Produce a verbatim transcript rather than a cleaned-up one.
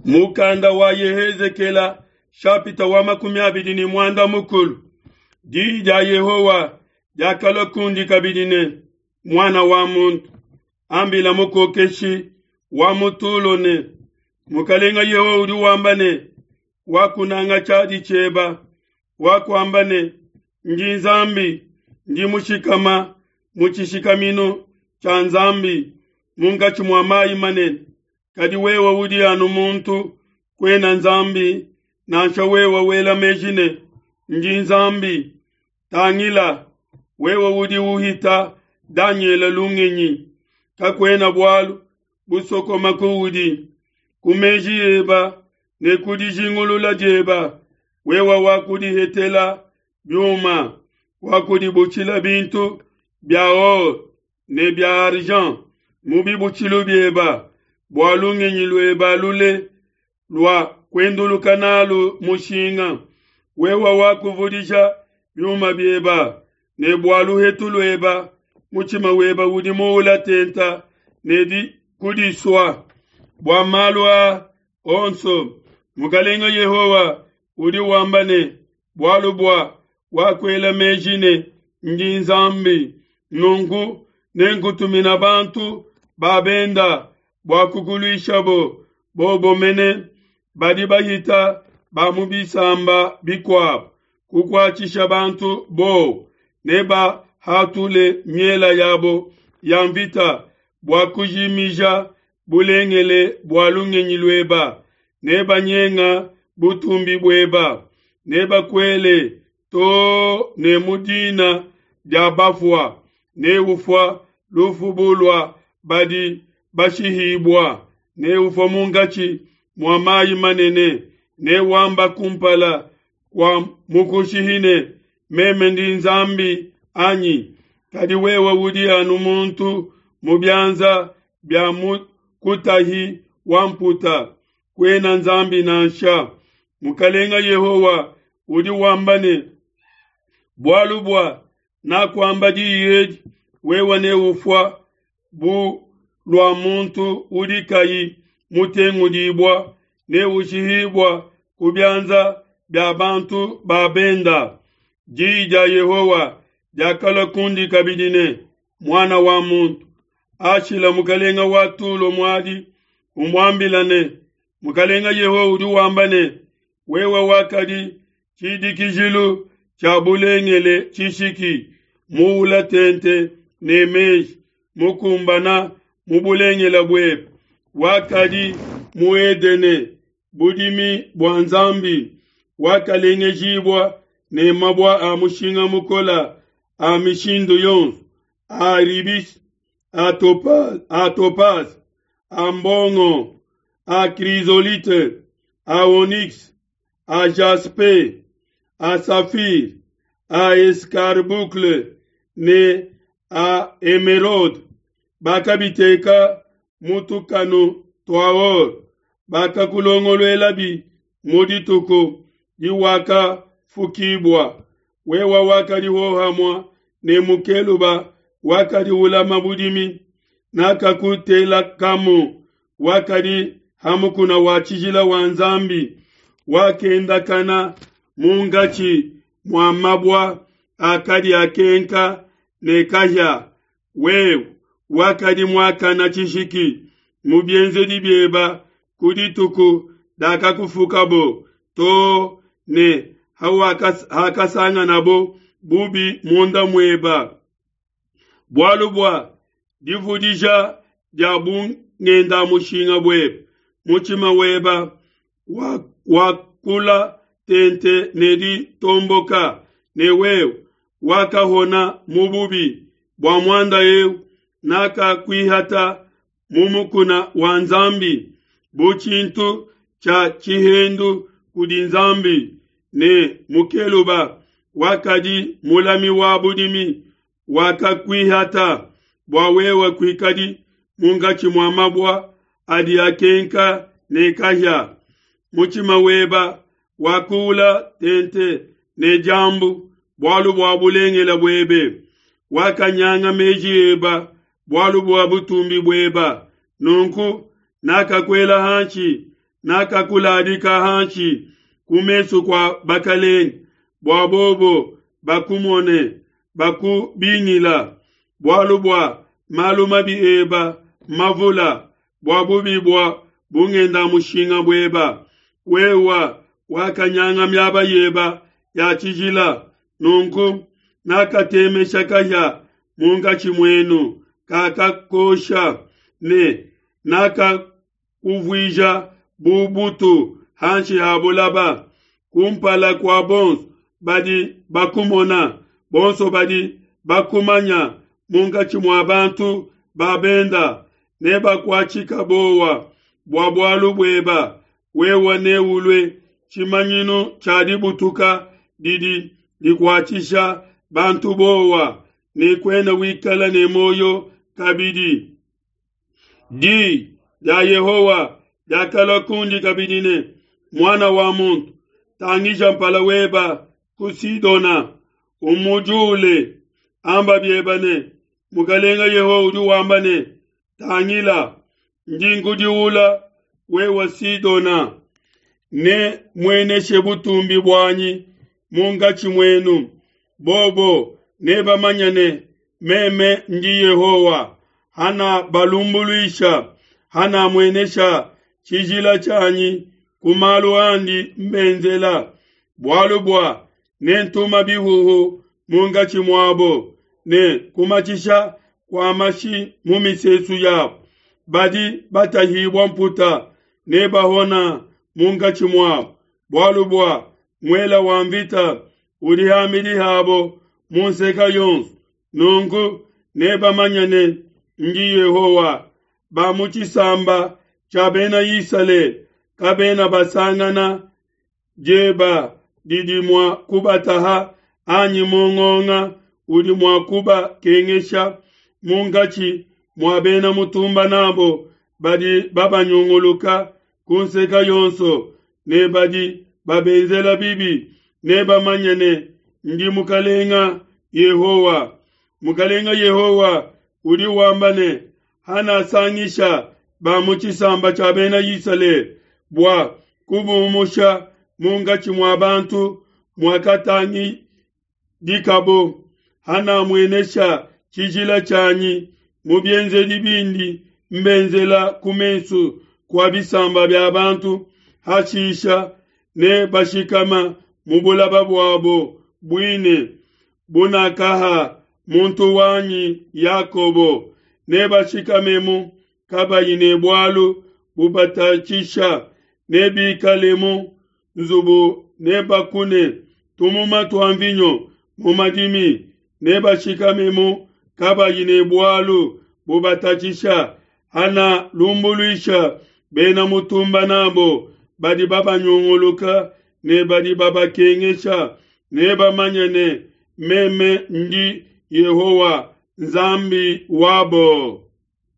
Mukanda wa Yehezekela shapita wa makumi abidi ne muanda mukulu. Diyi dia Yehowa diakalua kundi kabidi ne, muana wa muntu, ambila mukokeshi wa mu Tulo ne, Mukalenga Yehowa udi wamba ne, wakunanga tshiadi tshieba, wakuamba ne, ndi Nzambi, ndi mushikama mu tshishikaminu tshia Nzambi munkatshi mua mayi manene. Kadi wewe udi anu muntu, kuena Nzambi, nansha wewe wela meji ne, ndi Nzambi. Tangila, wewe udi uhita Danyele lungenyi, kakuena bualu busokoma kuudi. Ku meji eba ne ku dijingulula dieba, wewe wakudihetela biuma, wakudibutshila bintu bia or ne bia argent mu bibutshilu bieba, bua lungenyi lueba lule lua kuenduluka nalu mushinga. Wewe wakuvudija biuma bieba, ne bua luhetu lueba, mutshima weba udi muula tenta ne di kudisua. Bua malu a onso, Mukalenga Yehowa udi wamba ne, bualu bua wakuela meji ne, ndi Nzambi, nunku nenkutumina bantu ba benda bua kukuluishabo, bobo mene badi bahita ba mu bisamba bikuabo, kukuatshisha bantu bowa, nebahatule miela yabo ya mvita bua kujimija bulengele bua lungenyi lueba, nebanyenga butumbi bueba, nebakuele too ne mu dina dia bafua, neufua lufu bu lua badi bashihibua, neufua munkatshi mua mayi manene, newamba kumpala kua mukushihi ne, meme ndi Nzambi anyi? Kadi wewe udi anu muntu mu bianza bia mukutahi wa mputa, kuena Nzambi nansha. Mukalenga Yehowa udi wamba ne, bualu bua nakuamba diyi edi, wewe neufua bu lua muntu udi kayi mutengudibua, neushihibua ku bianza bia bantu ba benda. Diyi dia Yehowa diakalua kundi kabidi ne, muana wa muntu, ashila mukalenga wa Tulo muadi, umuambila ne, Mukalenga Yehowa udi wamba ne, wewe wakadi tshidikijilu tshia bulengele tshishiki, muula tente ne meji, mukumbana mu bulengele buebe, wakadi mu Edene, budimi bua Nzambi, wakalengejibua ne mabua a mushinga mukola a mishindu yonso, a rubis, a topaz, a topaz, a mbongo, a chrysolite, a onyx, a jaspe, a saphir, a escarboucle ne a émeraude. Bakabiteka mu tukanu tua or, bakakulongoluelabi mu dituku diwakafukibua. Wewe wakadi hohamua ne mukeluba wakadi ulama budimi, nakakutelakamu, wakadi hamukuna wa tshijila wa Nzambi, wakendakana munkatshi mua mabua akadi akenka ne kahia. Wewe wakadi muakana tshishiki mu bienzedi bieba ku dituku dakakufukabo too ne hakasanganabo bubi munda mueba. Bualu bua divudija dia bungenda mushinga bueba, mutshima weba wakula tente ne ditomboka, ne wewe wakahona mu bubi bua muanda eu, nakakuihata mu mukuna wa Nzambi bu tshintu tshia tshihendu kudi Nzambi, ne mukeluba wakadi mulami wa budimi wakakuihata bua wewe kuikadi munkatshi mua mabua adi akenka ne kahia. Mutshima weba wakuula tente ne diambu bualu bua bulengele buebe, wakanyanga meji eba bualu bua butumbi bueba. Nunku nakakuela hanshi, Nakakuladika hanshi ku mesu kua bakelenge, bua bobo bakumone bakubingila. Bualu bua malu mabi eba mavula, bua bubi bua bungenda-mushinga bueba, wewa wakanyanga miaba yeba ya tshijila. Nunku nakatemesha kahia munkatshi muenu kakakosha, ne nakakuvuija bu butu hanshi ha bulaba kumpala kua bonso badi bakumona, bonso badi bakumanya munkatshi mua bantu ba benda nebakuatshika bowa bua bualu bueba. Wewe neulue tshimanyinu tshia dibutuka didi dikuatshisha bantu bowa, ne kuena wikala ne muoyo kabidi. Di dia Yehowa diakalua kundi kabidi ne, Muana wa muntu, tangija mpala weba ku Sidona, umudiule, amba bieba ne, Mukalenga Yehowa udi wamba ne, Tangila, ndi nkudiula wewe Sidona, ne mueneshe butumbi buanyi munkatshi muenu. Bobo nebamanye ne, meme ndi Yehowa, hana balumbuluisha, hana muenesha tshijila tshianyi ku malu andi mbenzela. Bualu bua nentuma bihuhu munkatshi muabo, ne kumatshisha kua mashi mu misesu yabo. Badi batahibua mputa nebahona munkatshi muabo, bualu bua muela wa mvita udi ham'bidi habo mu nseke yonso. Nunku nebamanye ne, ndi Yehowa. Ba mu tshisamba tshia Bena Isalele kabena basangana dieba didi mua kubataha anyi mungonga udi mua kubakengesha munkatshi mua bena mutumba nabo badi babanyunguluka ku nseke yonso ne badi babenzela bibi. Nebamanye ne, ndi Mukalenga Yehowa. Mukalenga Yehowa udi wamba ne, hanasangisha ba mu tshisamba tshia Bena Isalele bua kubumusha munkatshi mua bantu muakatangidikabo, hanamuenesha tshijila tshianyi mu bienzedi bindi mbenzela ku mesu kua bisamba bia bantu, hashisha ne bashikama mu bulaba buabo buine bunakaha muntu wanyi Yakobo, nebashikamemu kabayi ne bualu bubatatshisha, nebikalemu nzubu, nebakune tumuma tua mvinyo mu madimi, nebashikamemu kabayi ne bualu bubatatshisha. Hana lumbuluisha bena mutumba nabo badi babanyunguluka ne badi babakengesha, nebamanye ne, meme ndi Yehowa Nzambi wabo.